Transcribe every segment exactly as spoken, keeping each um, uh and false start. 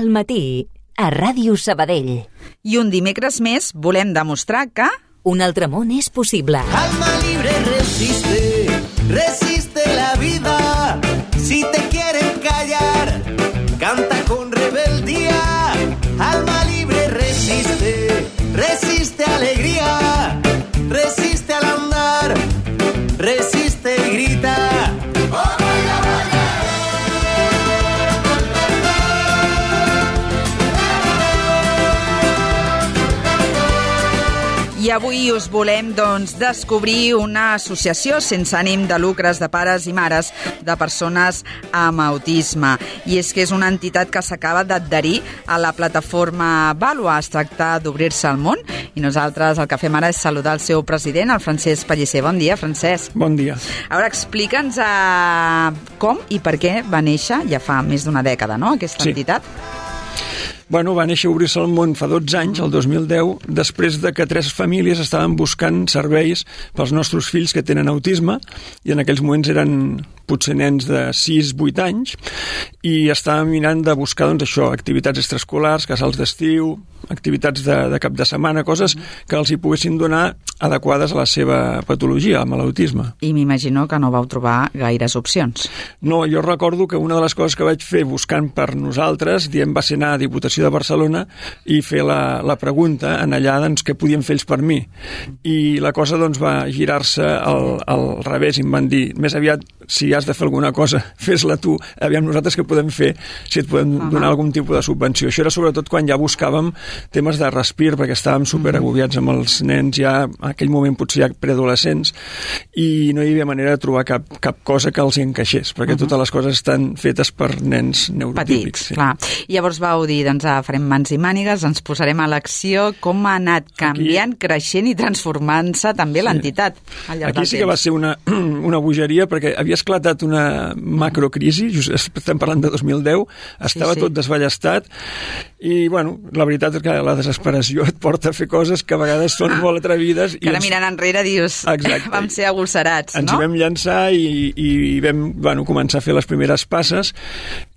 Al matí, a Ràdio Sabadell. I un dimecres més volem demostrar que... un altre món és possible. Alma libre resiste, resiste la vida. Si te quieren callar, canta con rebeldía. Alma libre resiste, resiste alegría. Resiste al andar, resiste y grita. I avui us volem, doncs, descobrir una associació sense ànim de lucres de pares i mares de persones amb autisme. I és que és una entitat que s'acaba d'adherir a la plataforma Vàlua. Es tracta d'obrir-se al món i nosaltres el que fem ara és saludar el seu president, el Francesc Pellicer. Bon dia, Francesc. Bon dia. Ara explica'ns uh, com i per què va néixer, ja fa més d'una dècada, no?, aquesta sí. entitat. Bueno, va néixer a Obrir-se al món fa dotze anys, el dos mil deu, després de que tres famílies estaven buscant serveis pels nostres fills que tenen autisme, i en aquells moments eren potser nens de sis vuit anys, i estàvem mirant de buscar, doncs, això, activitats extraescolars, casals d'estiu, activitats de, de cap de setmana, coses que els hi poguessin donar adequades a la seva patologia, amb l'autisme. I m'imagino que no vau trobar gaires opcions. No, jo recordo que una de les coses que vaig fer buscant per nosaltres, diem, va ser anar a Diputació de Barcelona i fer la, la pregunta en allà, doncs, què podien fer ells per mi. I la cosa, doncs, va girar-se al, al revés i em van dir, més aviat, si has de fer alguna cosa, fes-la tu, aviam nosaltres què podem fer, si et podem donar uh-huh. algun tipus de subvenció. Això era sobretot quan ja buscàvem temes de respir, perquè estàvem superagobiats amb els nens ja, en aquell moment potser ja preadolescents, i no hi havia manera de trobar cap, cap cosa que els hi encaixés, perquè uh-huh. totes les coses estan fetes per nens neurotípics. Petits, sí. Clar. I llavors vau dir, doncs, farem mans i mànigues, ens posarem a l'acció. Com ha anat canviant, Aquí... creixent i transformant-se també sí. l'entitat al llarg Aquí del sí que temps. va ser una, una bogeria, perquè havia esclatat una macrocrisi, just estem parlant de dos mil deu, estava sí, sí. tot desballestat, i, bueno, la veritat és que la desesperació et porta a fer coses que a vegades són ah, molt atrevides. Que ara ens... mirant enrere dius, Exacte. vam ser agosarats, ens no? Ens hi vam llançar i, i vam, bueno, començar a fer les primeres passes.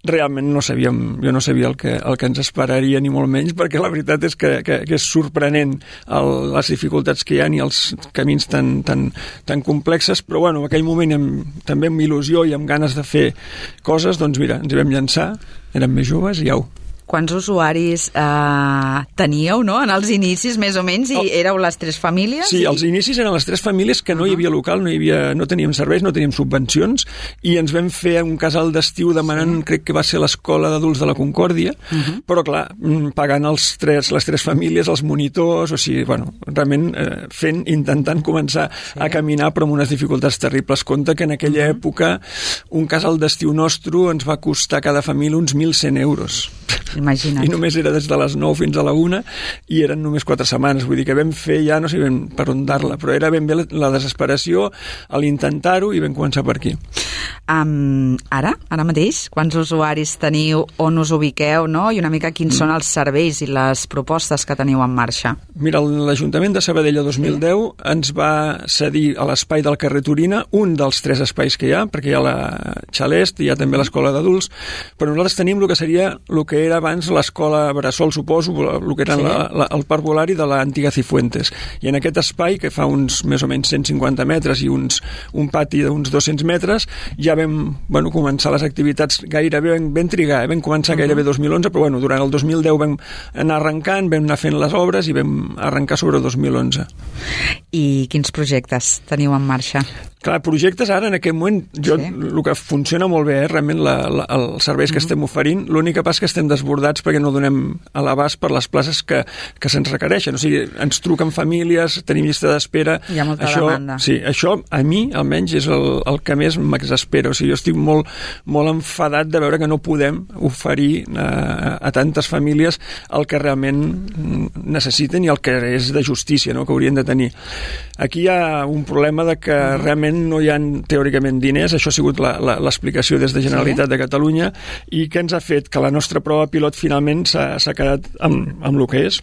Realment no sabíem, jo no sabia el que, el que ens esperaria, ni molt menys, perquè la veritat és que, que, que és sorprenent el, les dificultats que hi ha i els camins tan, tan, tan complexes, però bueno, en aquell moment amb, també amb il·lusió i amb ganes de fer coses, doncs mira, ens hi vam llançar, érem més joves i au. Quants usuaris eh, teníeu, no?, en els inicis, més o menys, i oh. éreu les tres famílies? Sí, i... els inicis eren les tres famílies que no uh-huh. hi havia local, no, hi havia, no teníem serveis, no teníem subvencions, i ens vam fer un casal d'estiu demanant, sí. crec que va ser l'Escola d'Adults de la Concòrdia, uh-huh. però clar, pagant els tres, les tres famílies, els monitors, o sigui, bueno, realment eh, fent, intentant començar sí. a caminar, però amb unes dificultats terribles. Compte que en aquella uh-huh. època un casal d'estiu nostre ens va costar cada família uns mil cent euros. Imagina't. I només era des de les nou fins a la una i eren només quatre setmanes, vull dir que vam fer ja, no sé ben per on dar-la, però era ben bé la, la desesperació a l'intentar-ho i vam començar per aquí. Um, ara, ara mateix, quants usuaris teniu, on us ubiqueu, no? I una mica quins mm. són els serveis i les propostes que teniu en marxa? Mira, l'Ajuntament de Sabadell a dos mil deu sí. ens va cedir a l'espai del carrer Turina un dels tres espais que hi ha, perquè hi ha la Xalest, hi ha també l'escola d'adults, però nosaltres tenim el que seria el que era abans l'escola Bressol, suposo, el que era sí. la, la, el parc volari de l'antiga Cifuentes. I en aquest espai, que fa uns més o menys cent cinquanta metres i uns, un pati d'uns dos-cents metres, ja vam bueno, començar les activitats gairebé, vam, vam trigar, eh? vam començar uh-huh. gairebé dos mil onze, però bueno, durant el dos mil deu vam anar arrencant, vam anar fent les obres i vam arrencar sobre el dos mil onze. I quins projectes teniu en marxa? Clar, projectes ara, en aquest moment, jo, sí. el que funciona molt bé, eh, realment la, la, els serveis que mm-hmm. estem oferint, l'únic que passa que estem desbordats perquè no donem a l'abast per les places que, que se'ns requereixen. O sigui, ens truquen famílies, tenim llista d'espera. Hi ha molta això, demanda. Sí, això a mi, almenys, és el, el que més m'exaspera. O sigui, jo estic molt, molt enfadat de veure que no podem oferir a, a tantes famílies el que realment necessiten i el que és de justícia, no?, que haurien de tenir. Aquí hi ha un problema de que mm-hmm. realment no hi ha teòricament diners, això ha sigut l'explicació des de Generalitat sí? de Catalunya, i que ens ha fet que la nostra prova pilot finalment s'ha quedat amb, amb el que és.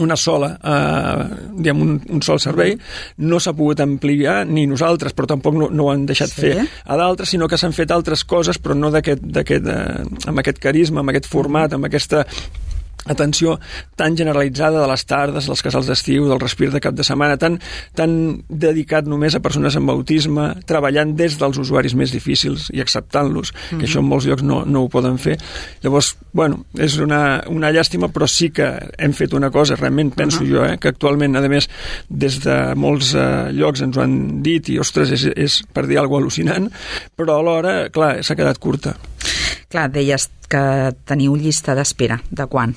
una sola, eh, diguem, un, un sol servei, no s'ha pogut ampliar ni nosaltres, però tampoc no, no ho han deixat sí. fer a d'altres, sinó que s'han fet altres coses, però no d'aquest, d'aquest, eh, amb aquest carisma, amb aquest format, amb aquesta atenció tan generalitzada de les tardes, dels casals d'estiu, del respir de cap de setmana, tan, tan dedicat només a persones amb autisme, treballant des dels usuaris més difícils i acceptant-los, mm-hmm. que això en molts llocs no, no ho poden fer. Llavors, bueno, és una, una llàstima, però sí que hem fet una cosa, realment penso uh-huh. jo, eh, que actualment, a més, des de molts eh, llocs ens ho han dit i, ostres, és, és per dir alguna cosa al·lucinant, però alhora, clar, s'ha quedat curta. Clar, deies que teniu llista d'espera. De quan?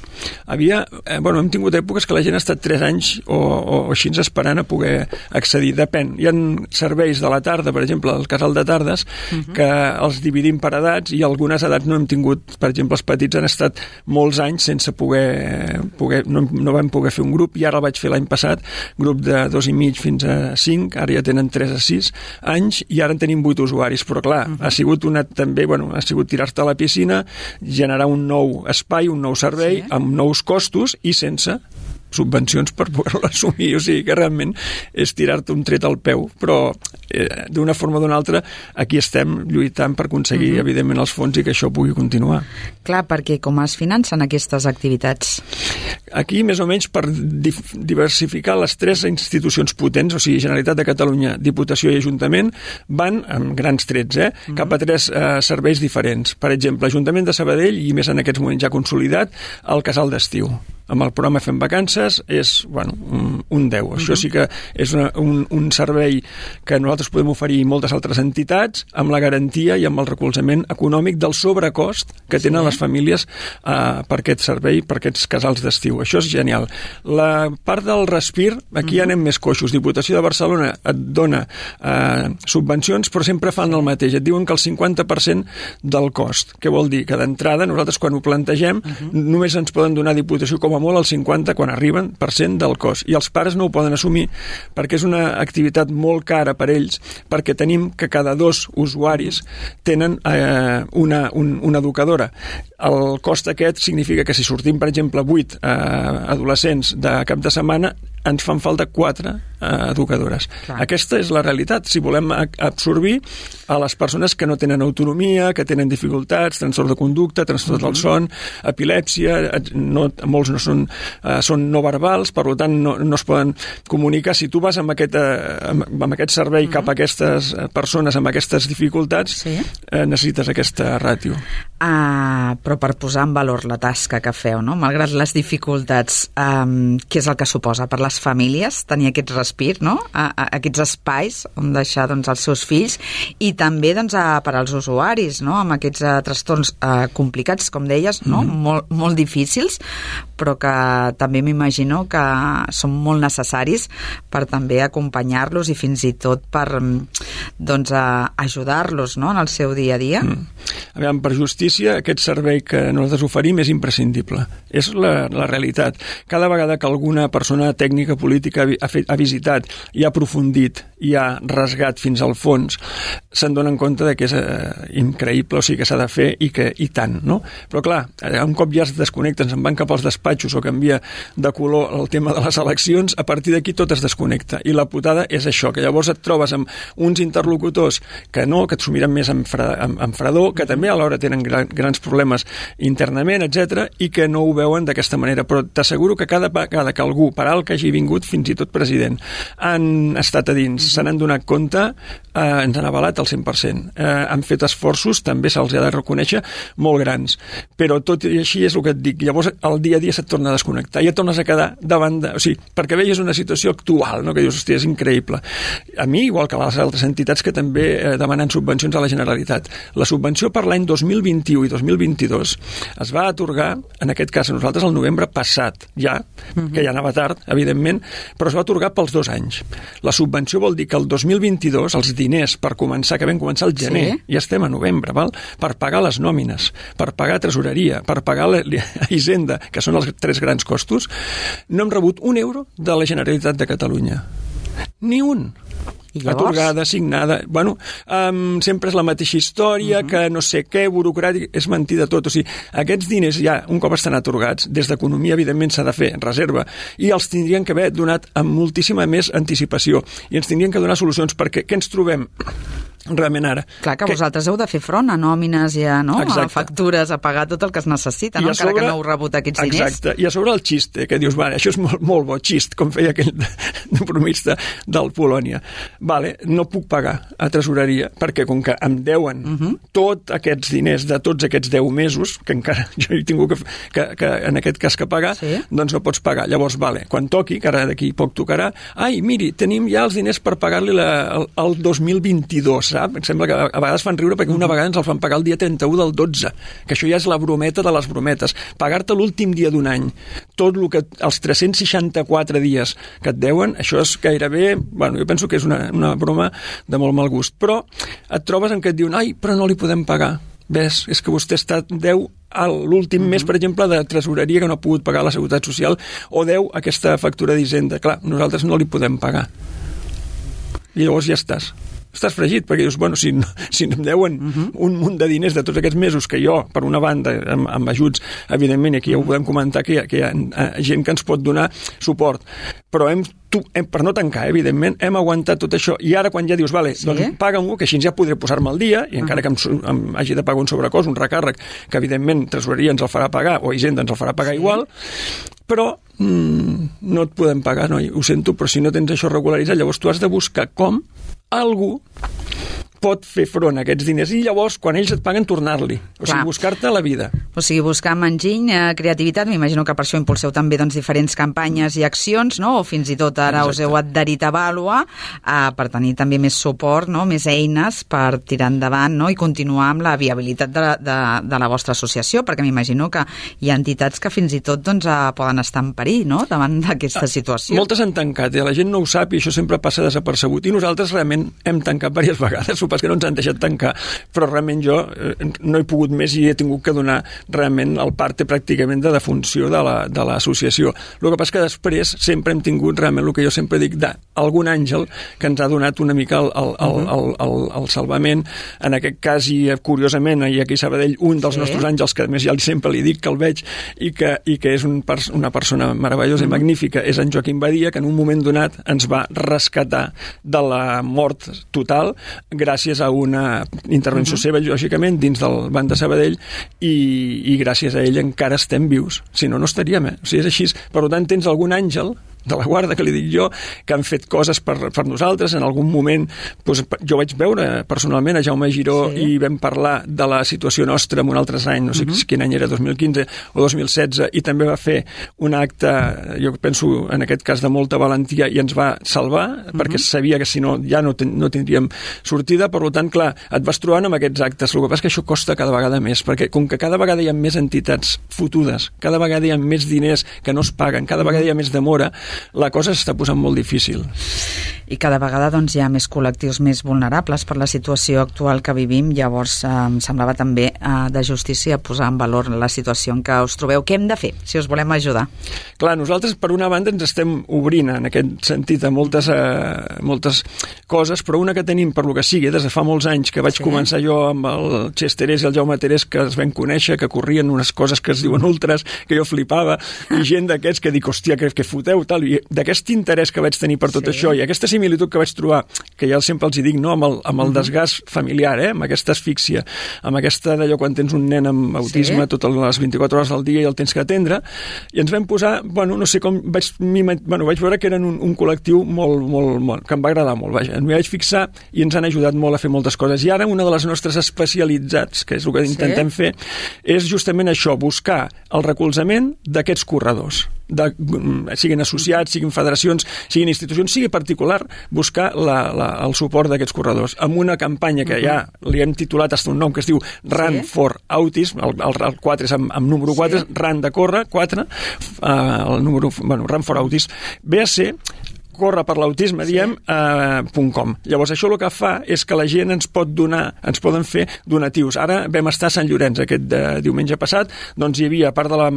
Havia, eh, bueno, hem tingut èpoques que la gent ha estat tres anys o, o, o així esperant a poder accedir. Depèn. Hi ha serveis de la tarda, per exemple, el casal de tardes, uh-huh. que els dividim per edats i algunes edats no hem tingut, per exemple, els petits han estat molts anys sense poder, poder no, no vam poder fer un grup i ara el vaig fer l'any passat, grup de dos i mig fins a cinc, ara ja tenen tres a sis anys i ara en tenim vuit usuaris, però clar, uh-huh. ha sigut una també, bueno, ha sigut tirar-te a la piscina, generar un nou espai, un nou servei, sí. amb nous costos i sense subvencions per poder-lo assumir, o sigui que realment és tirar-te un tret al peu, però eh, d'una forma o d'una altra aquí estem lluitant per aconseguir mm-hmm. evidentment els fons i que això pugui continuar. Clar, perquè com es financen aquestes activitats? Aquí més o menys per dif- diversificar les tres institucions potents, o sigui Generalitat de Catalunya, Diputació i Ajuntament, van amb grans trets, eh, mm-hmm. cap a tres eh, serveis diferents. Per exemple, Ajuntament de Sabadell i més en aquests moments ja consolidat, el casal d'estiu. Amb el programa Fem Vacances és, bueno, un, un deu. Uh-huh. Això sí que és una, un, un servei que nosaltres podem oferir moltes altres entitats amb la garantia i amb el recolzament econòmic del sobrecost que tenen sí. les famílies uh, per aquest servei, per aquests casals d'estiu. Això és genial. La part del respir, aquí uh-huh. ja anem més coixos. Diputació de Barcelona et dona uh, subvencions, però sempre fan el mateix. Et diuen que el cinquanta per cent del cost. Què vol dir? Que d'entrada, nosaltres quan ho plantegem, uh-huh. només ens poden donar Diputació com a molt al cinquanta quan arriben per cent del cost i els pares no ho poden assumir perquè és una activitat molt cara per ells, perquè tenim que cada dos usuaris tenen eh, una, un, una educadora. El cost aquest significa que si sortim, per exemple, vuit eh, adolescents de cap de setmana, ens fan falta quatre eh, educadores. Clar. Aquesta és la realitat. Si volem absorbir a les persones que no tenen autonomia, que tenen dificultats, trastorn de conducta, trastorn del son, epilèpsia, no, molts no són, eh, són no verbals, per tant no, no es poden comunicar. Si tu vas amb aquest, eh, amb, amb aquest servei uh-huh. cap a aquestes persones amb aquestes dificultats, sí. eh, necessites aquesta ràtio. Uh, però per posar en valor la tasca que feu, no? Malgrat les dificultats, um, què és el que suposa per les famílies tenir aquest respir, no? A, a, aquests espais on deixar doncs, els seus fills i també doncs, a, per als usuaris, no? Amb aquests uh, trastorns uh, complicats, com deies, no? Mm-hmm. molt, molt difícils, però que també m'imagino que són molt necessaris per també acompanyar-los i fins i tot per doncs, uh, ajudar-los, no? En el seu dia a dia. Mm. Aviam, per justícia, aquest servei que nosaltres oferim és imprescindible. És la, la realitat. Cada vegada que alguna persona tècnica política ha, fet, ha visitat i ha aprofundit i ha rasgat fins al fons, se'n donen compte de que és eh, increïble, o sigui que s'ha de fer i que i tant, no? Però clar, un cop ja es desconnecten, se'n van cap als despatxos o canvia de color el tema de les eleccions, a partir d'aquí tot es desconnecta. I la putada és això, que llavors et trobes amb uns interlocutors que no, que et s'ho miren més amb, fre, amb, amb fredor, que també alhora tenen gran, grans problemes internament, etcètera, i que no ho veuen d'aquesta manera. Però t'asseguro que cada vegada que algú, per alt que hagi vingut, fins i tot president, han estat a dins, se n'han donat compte, eh, ens han avalat al cent per cent. Eh, han fet esforços, també se'ls ha de reconèixer, molt grans. Però tot i així és el que et dic. Llavors, el dia a dia se't torna a desconnectar i et tornes a quedar davant de... O sigui, perquè veies una situació actual, no? Que dius, hòstia, és increïble. A mi, igual que a les altres entitats que també eh, demanen subvencions a la Generalitat. La subvenció per l'any dos mil vint-i-u i dos mil vint-i-dos es va atorgar, en aquest cas a nosaltres, el novembre passat, ja, mm-hmm. que ja anava tard, evidentment, però es va atorgar pels dos anys. La subvenció vol dir que el dos mil vint-i-dos els diners per començar, que vam començar al gener, sí. ja estem a novembre, val? Per pagar les nòmines, per pagar tresoreria, per pagar la Hisenda, que són els tres grans costos, no hem rebut un euro de la Generalitat de Catalunya. Ni un. I llavors? Atorgada, signada... Bueno, um, sempre és la mateixa història, uh -huh. que no sé què, burocràtic... És mentida tot. O sigui, aquests diners ja, un cop estan atorgats, des d'economia, evidentment, s'ha de fer en reserva, i els tindrien que haver donat amb moltíssima més anticipació. I ens tindrien que donar solucions, perquè què ens trobem realment ara? Clar que, que vosaltres heu de fer front a nòmines i a, no? a factures, a pagar tot el que es necessita, no? Encara sobre, que no heu rebut aquests diners. Exacte, i a sobre el xiste, que dius, vale, això és molt, molt bo, xist, com feia aquell bromista del Polònia. Vale, no puc pagar a tresoreria, perquè com que em deuen uh -huh. tots aquests diners de tots aquests deu mesos, que encara jo he tingut que, que, que en aquest cas que pagar, sí? Doncs no pots pagar. Llavors, vale, quan toqui, que ara d'aquí poc tocarà, ai, miri, tenim ja els diners per pagar-li la, el, el dos mil vint-i-dos, sap? Em sembla que a vegades fan riure perquè una vegada ens el fan pagar el dia trenta-u del dotze, que això ja és la brometa de les brometes. Pagar-te l'últim dia d'un any, tot el que, els tres-cents seixanta-quatre dies que et deuen, això és gairebé, bueno, jo penso que és una, una broma de molt mal gust, però et trobes en què et diuen, ai, però no li podem pagar. Ves, és que vostè està deu a l'últim mm-hmm. mes, per exemple, de tresoreria que no ha pogut pagar la Seguretat Social, o deu aquesta factura d'Hisenda. Clar, nosaltres no li podem pagar. I llavors ja estàs. Estàs fregit, perquè dius, bueno, si, si em deuen uh-huh. un munt de diners de tots aquests mesos que jo, per una banda, amb, amb ajuts, evidentment, aquí ja ho podem comentar, que hi ha, que hi ha gent que ens pot donar suport, però hem, tu, hem per no tancar, evidentment, hem aguantat tot això, i ara quan ja dius, vale, sí? doncs paga-m'ho, que així ja podré posar-me al dia, i encara uh-huh. que em, em hagi de pagar un sobrecost, un recàrrec, que evidentment tresoreria ens el farà pagar, o Hisenda ens el farà pagar sí? igual, però mm, no et podem pagar, no, ho sento, però si no tens això regularitzat, llavors tu has de buscar com algú pot fer front a aquests diners i llavors, quan ells et paguen, tornar-li. O Clar. sigui, buscar-te la vida. O sigui, buscar enginy, eh, creativitat, m'imagino que per això impulseu també doncs, diferents campanyes i accions, no? O fins i tot ara Exacte. us heu adherit a Vàlua eh, per tenir també més suport, no? Més eines per tirar endavant, no? I continuar amb la viabilitat de la, de, de la vostra associació, perquè m'imagino que hi ha entitats que fins i tot doncs, eh, poden estar en perill, no? Davant d'aquesta situació. Moltes han tancat, i la gent no ho sap i això sempre passa desapercebut. I nosaltres realment hem tancat diverses vegades, pas que no ens han deixat tancar, però realment jo eh, no he pogut més i he tingut que donar realment el parte pràcticament de defunció de l'associació. El que passa que després sempre hem tingut realment el que jo sempre dic d'algun àngel que ens ha donat una mica el, el, el, el, el, el salvament. En aquest cas, i curiosament, i aquí a Sabadell, un dels sí. nostres àngels, que a més ja sempre li dic que el veig i que, i que és un, una persona meravellosa mm. i magnífica, és en Joaquim Badia, que en un moment donat ens va rescatar de la mort total gràcies a una intervenció uh-huh. seva, lògicament, dins del Banc de Sabadell i, i gràcies a ell encara estem vius. Si no, no estaríem, eh? O sigui, és així. Per tant, tens algun àngel de la guarda, que li dic jo, que han fet coses per, per nosaltres. En algun moment doncs, jo vaig veure personalment a Jaume Giró sí. i vam parlar de la situació nostra en un altre any, no sé uh-huh. quin any era, dos mil quinze o dos mil setze, i també va fer un acte, jo penso en aquest cas de molta valentia, i ens va salvar, uh-huh. perquè sabia que si no ja no, ten, no tindríem sortida. Per tant, clar, et vas trobant amb aquests actes. El que passa és que això costa cada vegada més, perquè com que cada vegada hi ha més entitats fotudes, cada vegada hi ha més diners que no es paguen, cada vegada hi ha més demora, la cosa s'està posant molt difícil. I cada vegada doncs, hi ha més col·lectius més vulnerables per la situació actual que vivim. Llavors, eh, em semblava també eh, de justícia posar en valor la situació en què us trobeu. Què hem de fer, si us volem ajudar? Clar, nosaltres, per una banda, ens estem obrint en aquest sentit a moltes, eh, moltes coses, però una que tenim, per lo que sigui, des de fa molts anys, que vaig sí. començar jo amb el Xesterès i el Jaume Terès, que es vam conèixer, que corrien unes coses que es diuen ultres, que jo flipava, i gent d'aquests que dic, hòstia, que, que foteu, tal, i d'aquest interès que vaig tenir per tot sí. això, i aquesta similitud que vaig trobar, que ja sempre els hi dic, no? amb el, amb el uh-huh. desgast familiar, eh? amb aquesta asfíxia, amb aquesta d'allò quan tens un nen amb autisme sí. totes les vint-i-quatre hores del dia i el tens que atendre, i ens vam posar, bueno, no sé com, vaig, bueno, vaig veure que eren un, un col·lectiu molt, molt, molt, que em va agradar molt, vaja, m'hi vaig fixar i ens han ajudat molt a fer moltes coses. I ara una de les nostres especialitats, que és el que intentem sí. fer, és justament això, buscar el recolzament d'aquests corredors. De, siguin associats, siguin federacions, siguin institucions, sigui particular, buscar la, la, el suport d'aquests corredors. Amb una campanya que uh-huh. ja li hem titulat hasta un nom que es diu Run sí. for Autism, el, el, el quatre és amb, amb número quatre, sí. Run de córrer, quatre, uh, el número, bueno, Run for Autism, ve a ser corre per l'autisme, sí. diem, eh, .com. Llavors, això el que fa és que la gent ens pot donar, ens poden fer donatius. Ara vam estar a Sant Llorenç aquest de, diumenge passat, doncs hi havia, a part de la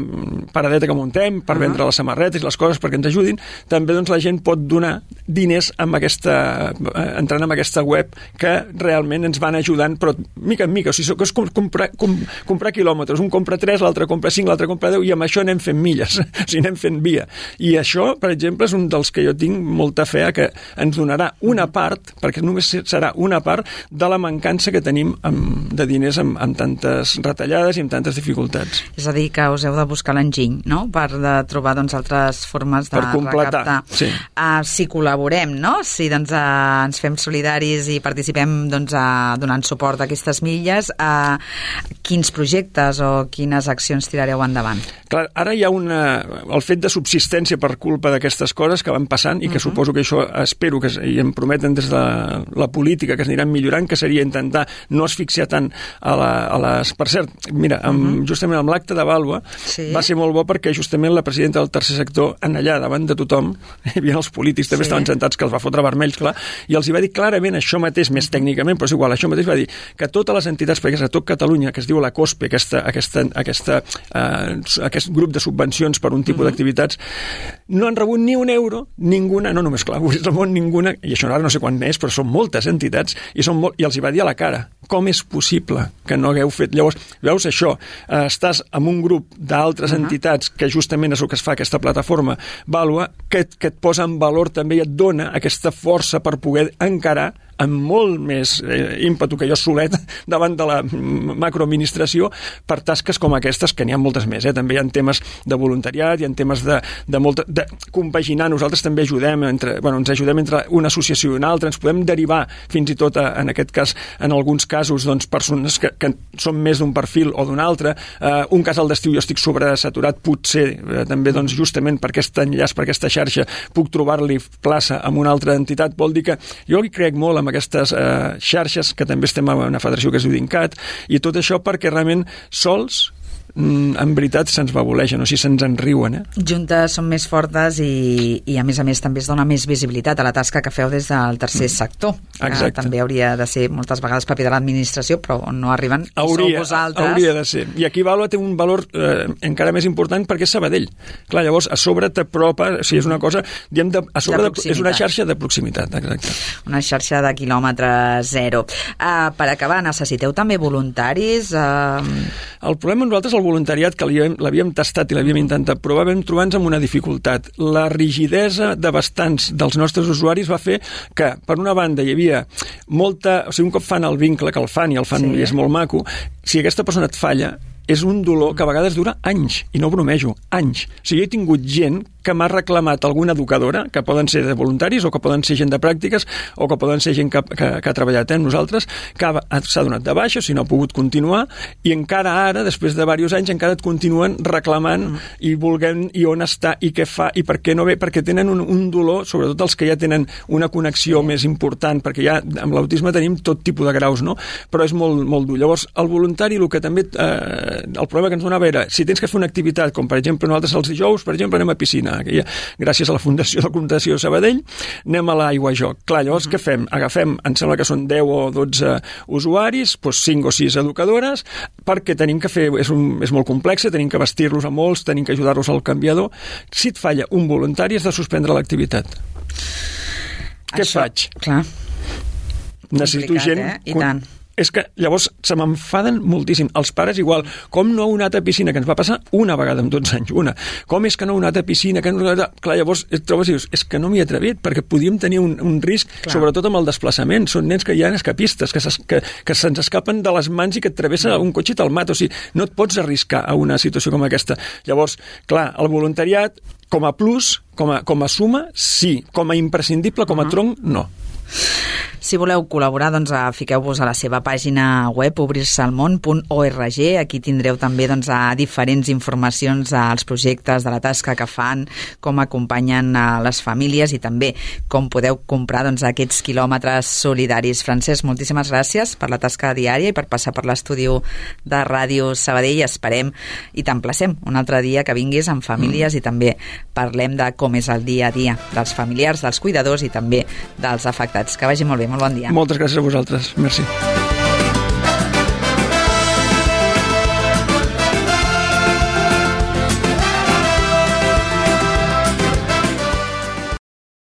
paradeta que muntem, per uh-huh. vendre les samarretes i les coses perquè ens ajudin, també doncs, la gent pot donar diners amb aquesta, eh, entrant en aquesta web que realment ens van ajudant, però mica en mica, o sigui, és com comprar, com, comprar quilòmetres, un compra tres, l'altre compra cinc, l'altre compra deu, i amb això anem fent milles, o sigui, anem fent via. I això, per exemple, és un dels que jo tinc molta fe que ens donarà una part, perquè només serà una part de la mancança que tenim amb, de diners amb, amb tantes retallades i amb tantes dificultats. És a dir, que us heu de buscar l'enginy, no?, per de trobar doncs, altres formes de per completar, recaptar. Sí. Uh, si col·laborem, no?, si doncs, uh, ens fem solidaris i participem doncs, uh, donant suport a aquestes milles, uh, quins projectes o quines accions tirareu endavant? Clar, ara hi ha una, el fet de subsistència per culpa d'aquestes coses que van passant i que uh-huh. suposo que això espero que i em prometen des de la, la política que es aniran millorant, que seria intentar no asfixiar tant a, la, a les... Per cert, mira, amb, uh-huh. justament amb l'acte de Vàlua sí. va ser molt bo perquè justament la presidenta del tercer sector en allà davant de tothom, hi havia els polítics també sí. estaven sentats que els va fotre vermells, clar, i els hi va dir clarament això mateix, més tècnicament, però és igual, això mateix va dir que totes les entitats, perquè és a tot Catalunya, que es diu la COSPE, aquesta, aquesta, aquesta, uh, aquest grup de subvencions per un tipus uh-huh. d'activitats, no han rebut ni un euro, ninguna, no només clar, és el món ninguna, i això ara no sé quan és, però són moltes entitats, i, són molt, i els hi va dir a la cara, com és possible que no hagueu fet... Llavors, veus això, eh, estàs amb un grup d'altres uh-huh. entitats, que justament és el que es fa aquesta plataforma Vàlua, que, que et posa en valor també i et dona aquesta força per poder encarar amb molt més eh, ímpetu que jo solet davant de la macroadministració per tasques com aquestes, que n'hi ha moltes més. Eh? També hi ha temes de voluntariat, hi ha temes de, de, molta, de compaginar. Nosaltres també ajudem, entre, bueno, ens ajudem entre una associació i una altra, ens podem derivar fins i tot, a, en aquest cas, en alguns casos, doncs, persones que, que són més d'un perfil o d'un altre. Eh, un casal d'estiu jo estic sobresaturat, potser eh, també doncs, justament per aquest enllaç, per aquesta xarxa, puc trobar-li plaça amb una altra entitat. Vol dir que jo hi crec molt amb aquestes eh, xarxes, que també estem en una federació que es diu DINCAT, i tot això perquè realment sols en veritat se'ns babolegen, o sigui, se'ns enriuen. Eh? Juntes són més fortes i, i a més a més també es dona més visibilitat a la tasca que feu des del tercer mm. sector. Exacte. Que també hauria de ser moltes vegades paper de l'administració, però on no arriben hauria, sou vosaltres. Hauria de ser. I aquí Vàlua té un valor eh, encara més important perquè és Sabadell. Clar, llavors a sobre t'apropa, o sigui, és una cosa, diem de, a sobre de de, és una xarxa de proximitat, exacte. Una xarxa de quilòmetre zero. Uh, per acabar, necessiteu també voluntaris? Uh... El problema nosaltres, el voluntariat, que l'havíem tastat i l'havíem intentat provar, vam trobar-nos amb una dificultat. La rigidesa de bastants dels nostres usuaris va fer que, per una banda, hi havia molta... O sigui, un cop fan el vincle, que el fan i el fan sí. i és molt maco, si aquesta persona et falla, és un dolor que a vegades dura anys, i no bromejo, anys. O sigui, jo he tingut gent que m'ha reclamat alguna educadora, que poden ser de voluntaris o que poden ser gent de pràctiques o que poden ser gent que, que, que ha treballat amb nosaltres, que s'ha donat de baixa, si no ha pogut continuar, i encara ara, després de diversos anys, encara et continuen reclamant mm. i volent i on està i què fa i per què no ve, perquè tenen un, un dolor, sobretot els que ja tenen una connexió sí. més important, perquè ja amb l'autisme tenim tot tipus de graus, no? Però és molt, molt dur. Llavors, el voluntari, el que també... Eh, el problema que ens donava era, si tens que fer una activitat, com per exemple nosaltres els dijous, per exemple, anem a piscina, que ja, gràcies a la Fundació de la Fundació Sabadell, anem a l'aigua a joc. Clar, llavors, uh-huh. què fem? Agafem, em sembla que són deu o dotze usuaris, doncs cinc o sis educadores, perquè tenim que fer, és, un, és molt complex, tenim que vestir-los a molts, tenim que ajudar-los al canviador. Si et falla un voluntari, has de suspendre l'activitat. Què Això, faig? Clar. Necessito complicat, gent... Eh? I tant. És que llavors se m'enfaden moltíssim. Els pares igual. Com no heu anat a piscina? Que ens va passar una vegada en dotze anys, una. Com és que no heu anat a piscina? Que no... Clar, llavors et trobes i dius, és que no m'hi he atrevit, perquè podíem tenir un, un risc, clar. Sobretot amb el desplaçament. Són nens que hi ha escapistes, que, que, que se'ns escapen de les mans i que et travessa un cotxe i te'l mata. O sigui, no et pots arriscar a una situació com aquesta. Llavors, clar, el voluntariat, com a plus, com a, com a suma, sí. Com a imprescindible, com a uh-huh. tronc, no. Si voleu col·laborar, doncs fiqueu-vos a la seva pàgina web obrir-se-al-món punt org. Aquí tindreu també doncs, a diferents informacions als projectes de la tasca que fan, com acompanyen a les famílies i també com podeu comprar doncs, aquests quilòmetres solidaris. Francesc, moltíssimes gràcies per la tasca diària i per passar per l'estudi de Ràdio Sabadell. Esperem i t'emplacem un altre dia que vinguis amb famílies mm. i també parlem de com és el dia a dia dels familiars, dels cuidadors i també dels afectats. Que vagi molt bé, molt bon dia. Moltes gràcies a vosaltres. Merci.